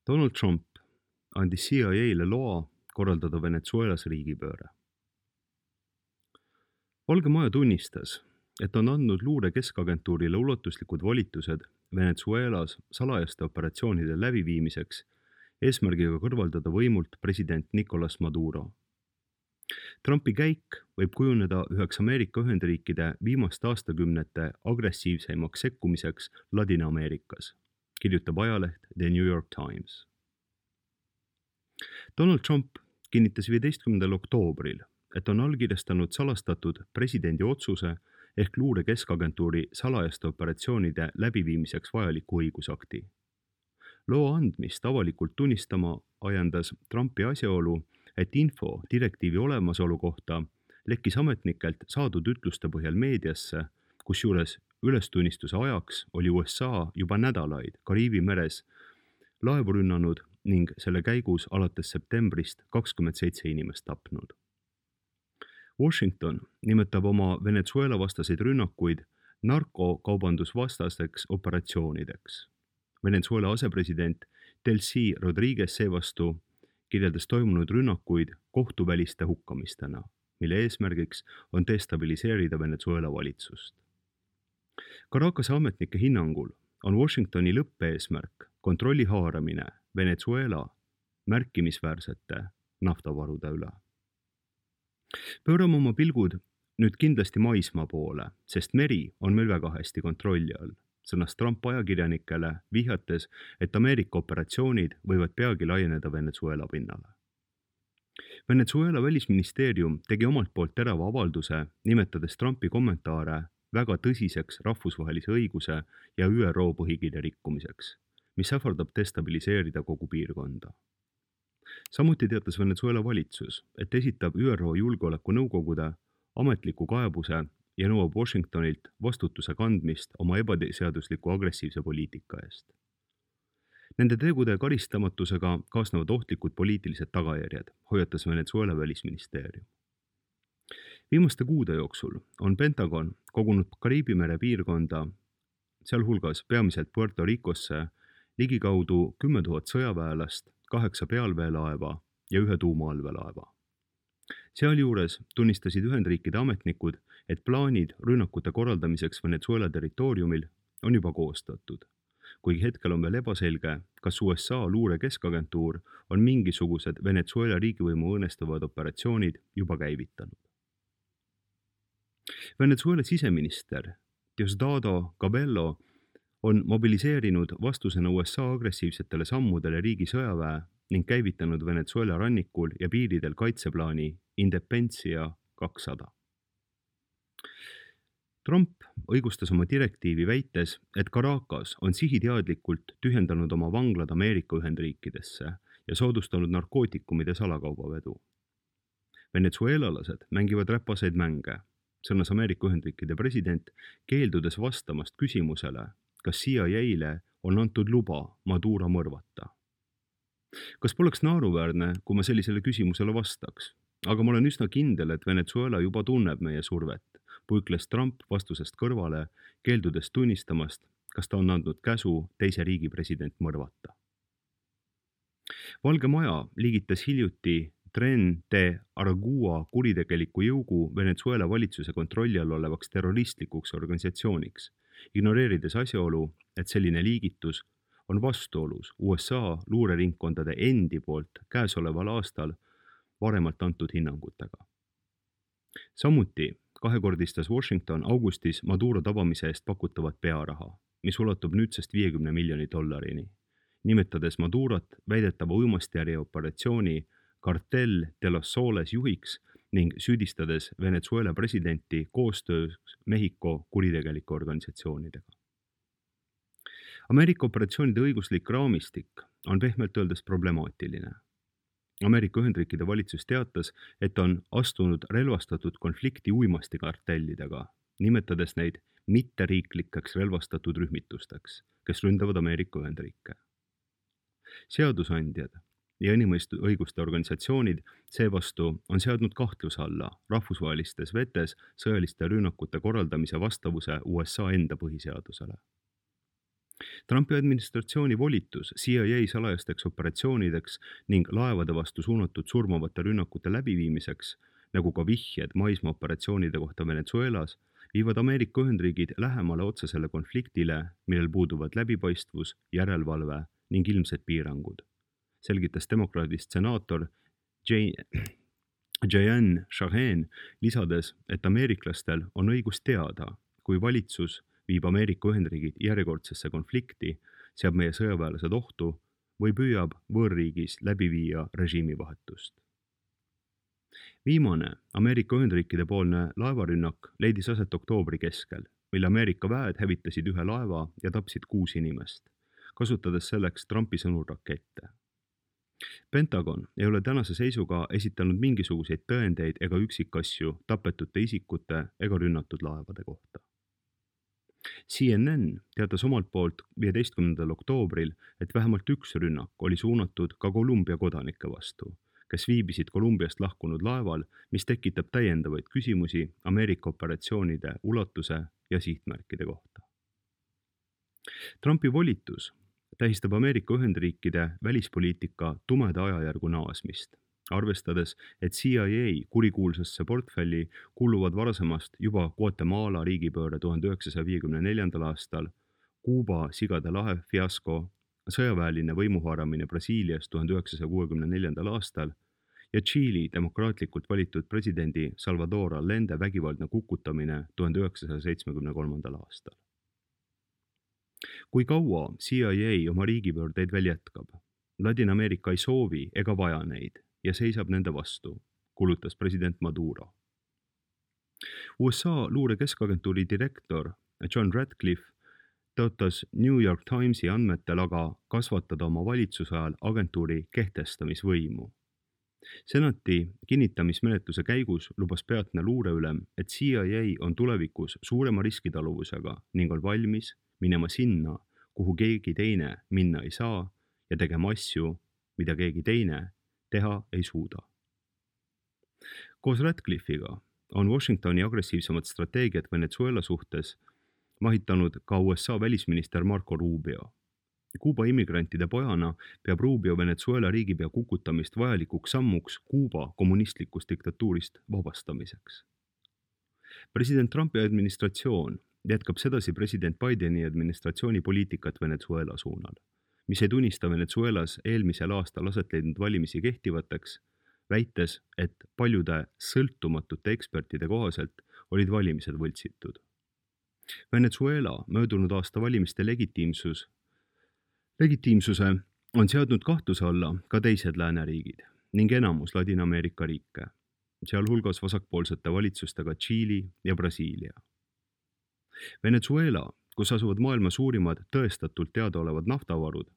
Donald Trump andis CIA-le loa korraldada Venezuelas riigipööre. Valge Maja tunnistas, et on andnud luure keskagentuurile ulatuslikud volitused Venezuelas salajaste operatsioonide läbiviimiseks eesmärgiga kõrvaldada võimult president Nicolas Maduro. Trumpi käik võib kujuneda üheks Ameerika Ühendriikide viimaste aastakümnete agressiivseimaks sekkumiseks Ladina-Ameerikas, kirjutab ajaleht The New York Times. Donald Trump kinnitas 15. oktoobril, et on allkirjastanud salastatud presidendi otsuse ehk luure keskagentuuri salajaste operatsioonide läbiviimiseks vajaliku õigusakti. Loo andmist avalikult tunnistama ajendas Trumpi asjaolu, et info direktiivi olemasolu kohta lekkis ametnikelt saadud ütluste põhjal meediasse, kusjuures ülestunnistuse ajaks oli USA juba nädalaid Kariibi meres laevu rünnanud ning selle käigus alates septembrist 27 inimest tapnud. Washington nimetab oma Venezuela vastaseid rünnakuid narkokaubandusvastasteks operatsioonideks. Venezuela asepresident Delcy Rodriguez seevastu kirjeldas toimunud rünnakuid kohtuväliste hukkamistena, mille eesmärgiks on destabiliseerida Venezuela valitsust. Caracase ametnike hinnangul on Washingtoni lõppeesmärk kontrolli haaramine Venezuela märkimisväärsete naftavarude üle. Pöörame oma pilgud nüüd kindlasti maismaa poole, sest meri on meil väga hästi kontrolli all, sõnas Trump ajakirjanikele vihjates, et Ameerika operatsioonid võivad peagi laieneda Venezuela pinnale. Venezuela välisministeerium tegi omalt poolt terava avalduse, nimetades Trumpi kommentaare väga tõsiseks rahvusvahelise õiguse ja ÜRO põhikirja rikkumiseks, mis ähvardab destabiliseerida kogu piirkonda. Samuti teatas Venezuela valitsus, et esitab ÜRO Julgeolekunõukogude ametliku kaebuse ja nõuab Washingtonilt vastutuse kandmist oma ebaseadusliku agressiivse poliitika eest. Nende tegude karistamatusega kaasnevad ohtlikud poliitilised tagajärjed, hoiatas Venezuela välisministeerium. Viimaste kuude jooksul on Pentagon kogunud Kariibi mere piirkonda, sealhulgas peamiselt Puerto Ricosse, ligikaudu 10 000 sõjaväelast, 8 pealveelaeva ja 1 tuumaallveelaeva. Sealjuures tunnistasid Ühendriikide ametnikud, et plaanid rünnakute korraldamiseks Venezuela territooriumil on juba koostatud, kuigi hetkel on veel ebaselge, kas USA luure keskagentuur on mingisugused Venezuela riigivõimu õõnestavad operatsioonid juba käivitanud. Venezuela siseminister Diosdado Cabello on mobiliseerinud vastusena USA agressiivsetele sammudele riigi sõjaväe ning käivitanud Venezuela rannikul ja piiridel kaitseplaani Independencia 200. Trump õigustas oma direktiivi väites, et Caracas on sihiteadlikult tühjendanud oma vanglad Ameerika Ühendriikidesse ja soodustanud narkootikumide salakaubavedu. Venezuelalased mängivad räpaseid mänge, sõnas Ameerika Ühendriikide president, keeldudes vastamast küsimusele, kas CIA-le on antud luba Maduro mõrvata. Kas poleks naeruväärne, kui ma sellisele küsimusele vastaks? Aga ma olen üsna kindel, et Venezuela juba tunneb meie survet, puikles Trump vastusest kõrvale, keeldudes tunnistamast, kas ta on andnud käsu teise riigi president mõrvata. Valge Maja liigitas hiljuti Tren de Aragua kuritegeliku jõugu Venezuela valitsuse kontrolli all olevaks terroristlikuks organisatsiooniks, ignoreerides asjaolu, et selline liigitus on vastuolus USA luureringkondade endi poolt käesoleval aastal varemalt antud hinnangutega. Samuti kahekordistas Washington augustis Maduro tabamise eest pakutavat pearaha, mis ulatub nüüdsest $50 miljonit, nimetades Madurot väidetava uimastijärje operatsiooni Cartel de los Soles juhiks ning süüdistades Venezuela presidenti koostöös Mehhiko kuritegelike organisatsioonidega. Ameerika operatsioonide õiguslik raamistik on pehmelt öeldes problemaatiline. Ameerika Ühendriikide valitsus teatas, et on astunud relvastatud konflikti uimastikartellidega, nimetades neid mitteriiklikeks relvastatud rühmitusteks, kes ründavad Ameerika Ühendriike. Seadusandjad ja inimõiguste organisatsioonid seevastu on seadnud kahtluse alla rahvusvahelistes vetes sõjaliste rünnakute korraldamise vastavuse USA enda põhiseadusele. Trumpi administratsiooni volitus CIA salajasteks operatsioonideks ning laevade vastu suunatud surmavate rünnakute läbiviimiseks, nagu ka vihjed maismaaoperatsioonide kohta Venezuelas, viivad Ameerika Ühendriigid lähemale otsesele konfliktile, millel puuduvad läbipaistvus, järelevalve ning ilmsed piirangud, selgitas demokraadist senaator Jeanne Shaheen, lisades, et ameeriklastel on õigus teada, kui valitsus viib Ameerika Ühendriigid järjekordsesse konflikti, seab meie sõjaväelased ohtu või püüab võõrriigis läbi viia režiimivahetust. Viimane Ameerika Ühendriikide poolne laevarünnak leidis aset oktoobri keskel, mille Ameerika väed hävitasid ühe laeva ja tapsid 6 inimest, kasutades selleks Trumpi sõnul rakette. Pentagon ei ole tänase seisuga esitanud mingisuguseid tõendeid ega üksikasju tapetute isikute ega rünnatud laevade kohta. CNN teatas omalt poolt 15. oktoobril, et vähemalt üks rünnak oli suunatud ka Kolumbia kodanike vastu, kes viibisid Kolumbiast lahkunud laeval, mis tekitab täiendavaid küsimusi Ameerika operatsioonide ulatuse ja sihtmärkide kohta. Trumpi volitus tähistab Ameerika Ühendriikide välispoliitika tumeda ajajärgu naasmist, arvestades, et CIA kurikuulsasse portfelli kuuluvad varasemast juba Guatemala riigipööre 1954. aastal, Kuuba Sigade lahe fiasko, sõjaväeline võimuhaaramine Brasiilias 1964. aastal ja Tšiili demokraatlikult valitud presidendi Salvador Allende vägivaldne kukutamine 1973. aastal. Kui kaua CIA oma riigipöördeid veel jätkab? Ladina-Ameerika ei soovi ega vaja neid ja seisab nende vastu, kulutas president Maduro. USA luure keskagentuuri direktor John Ratcliffe tõotas New York Timesi andmetel aga kasvatada oma valitsuse ajal agentuuri kehtestamisvõimu. Senati kinnitamismenetluse käigus lubas peatne luureülem, et CIA on tulevikus suurema riskitaluvusega ning on valmis minema sinna, kuhu keegi teine minna ei saa ja tegema asju, mida keegi teine teha ei suuda. Koos Ratcliffe'iga on Washingtoni agressiivsemad strateegiad Venezuela suhtes mahitanud ka USA välisminister Marco Rubio. Kuuba immigrantide pojana peab Rubio Venezuela riigipea kukutamist vajalikuks sammuks Kuuba kommunistlikust diktatuurist vabastamiseks. President Trumpi administratsioon jätkab sedasi president Bideni administratsiooni poliitikat Venezuela suunal, mis ei tunnista Venezuelas eelmisel aastal aset leidnud valimisi kehtivateks, väites, et paljude sõltumatute ekspertide kohaselt olid valimised võltsitud. Venezuela möödunud aasta valimiste legitiimsuse on seadnud kahtluse alla ka teised lääneriigid ning enamus Ladina-Ameerika riike, sealhulgas vasakpoolsete valitsustega Tšiili ja Brasiilia. Venezuela, kus asuvad maailma suurimad tõestatult teadaolevad naftavarud,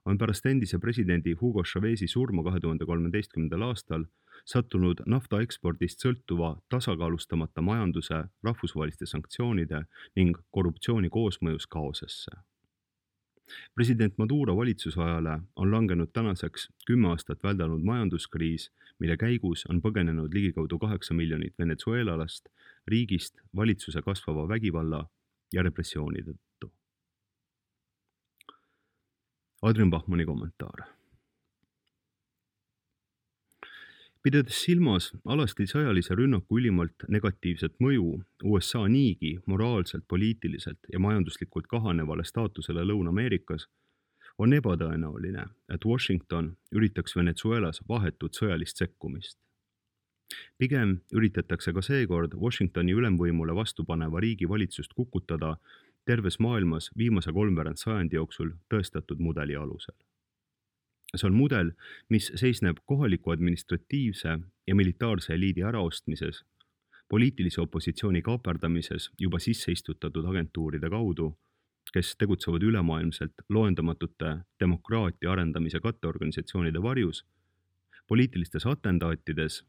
on pärast endise presidendi Hugo Chávez'i surma 2013. aastal sattunud nafta ekspordist sõltuva tasakaalustamata majanduse, rahvusvaheliste sanktsioonide ning korruptsiooni koosmõjus kaosesse. President Maduro valitsusajale on langenud tänaseks 10 aastat väldanud majanduskriis, mille käigus on põgenenud ligikaudu 8 miljonit venezuelalast riigist valitsuse kasvava vägivalla ja repressiooni tõttu. Adrian Bachmanni kommentaar. Pidades silmas alasti sõjalise rünnaku ülimalt negatiivset mõju USA niigi moraalselt, poliitiliselt ja majanduslikult kahanevale staatusele Lõuna-Ameerikas, on ebatõenäoline, et Washington üritaks Venezuelas vahetut sõjalist sekkumist. Pigem üritatakse ka seekord Washingtoni ülemvõimule vastupaneva riigi valitsust kukutada terves maailmas viimase 3 sajandi jooksul tõestatud mudeli alusel. See on mudel, mis seisneb kohaliku administratiivse ja militaarse eliidi äraostmises, poliitilise opositsiooni kaaperdamises juba sisse istutatud agentuuride kaudu, kes tegutsevad ülemaailmselt loendamatute demokraatia arendamise katteorganisatsioonide varjus, poliitilistes atendaatides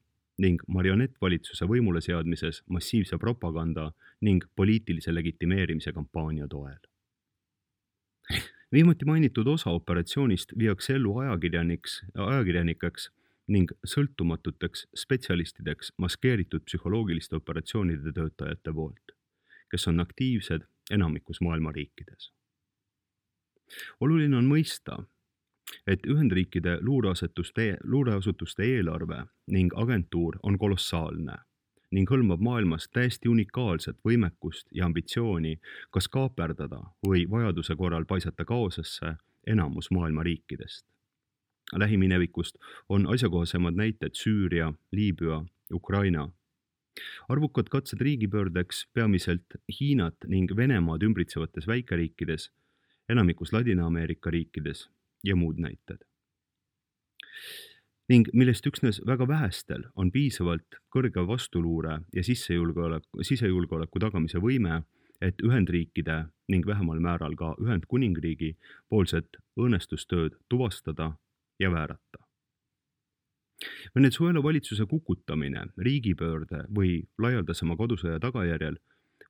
ning marionettvalitsuse võimule seadmises massiivse propaganda ning poliitilise legitimeerimise kampaania toel. Viimati mainitud osa operatsioonist viiakse ellu ajakirjanikeks ning sõltumatuteks spetsialistideks maskeeritud psühholoogiliste operatsioonide töötajate poolt, kes on aktiivsed enamikus maailma riikides. oluline on mõista, et Ühendriikide luureasutuste eelarve ning agentuur on kolossaalne ning hõlmab maailmas täiesti unikaalset võimekust ja ambitsiooni kas kaaperdada või vajaduse korral paisata kaosesse enamus maailma riikidest. Lähiminevikust on asjakohasemad näited Süüria, Liibüa, Ukraina. Arvukad katsed riigipöördeks peamiselt Hiinat ning Venemaad ümbritsevates väikeriikides, enamikus Ladina-Ameerika riikides ja muud näited. Ning millest üksnes väga vähestel on piisavalt kõrge vastuluure ja sisejulgeoleku tagamise võime, et Ühendriikide ning vähemal määral ka Ühendkuningriigi poolset õõnestustööd tuvastada ja väärata. Venezuela valitsuse kukutamine riigipöörde või laialdasema kodusõja tagajärjel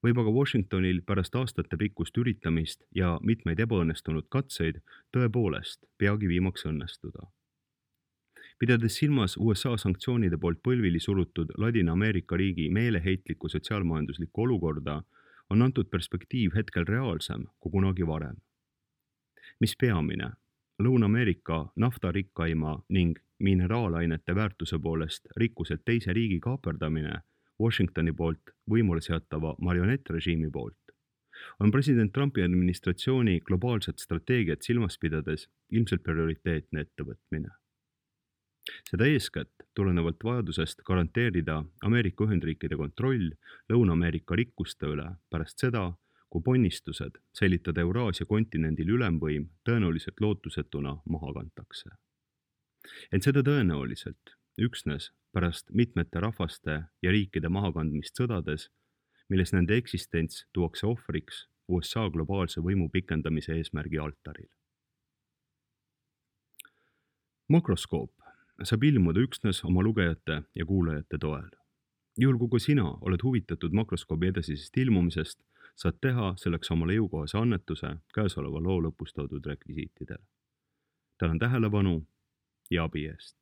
võib aga Washingtonil pärast aastate pikkust üritamist ja mitmeid ebaõnnestunud katseid tõepoolest peagi viimaks õnnestuda. Pidades silmas USA sanktsioonide poolt põlvili surutud Ladina-Ameerika riigi meeleheitlikku sotsiaalmajanduslikku olukorda, on antud perspektiiv hetkel reaalsem kui kunagi varem. Mis peamine, Lõuna-Ameerika naftarikkaima ning mineraalainete väärtuse poolest rikkuselt teise riigi kaaperdamine Washingtoni poolt võimule seatava marionettrežiimi poolt, on president Trumpi administratsiooni globaalset strateegiat silmas pidades ilmselt prioriteetne ettevõtmine. Seda eeskätt tulenevalt vajadusest garanteerida Ameerika Ühendriikide kontroll Lõuna-Ameerika rikkuste üle pärast seda, kui ponnistused säilitada Euraasia kontinendil ülemvõim tõenäoliselt lootusetuna maha kantakse. Ent seda tõenäoliselt üksnes pärast mitmete rahvaste ja riikide mahakandmist sõdades, milles nende eksistents tuuakse ohvriks USA globaalse võimu pikendamise eesmärgi altaril. Makroskoop saab ilmuda üksnes oma lugejate ja kuulajate toel. Juhul kui sina oled huvitatud makroskoobi edasisest ilmumisest, saad teha selleks omale jõukohase annetuse käesoleva loo lõpus toodud rekvisiitidel. Tänan tähelepanu ja abi eest.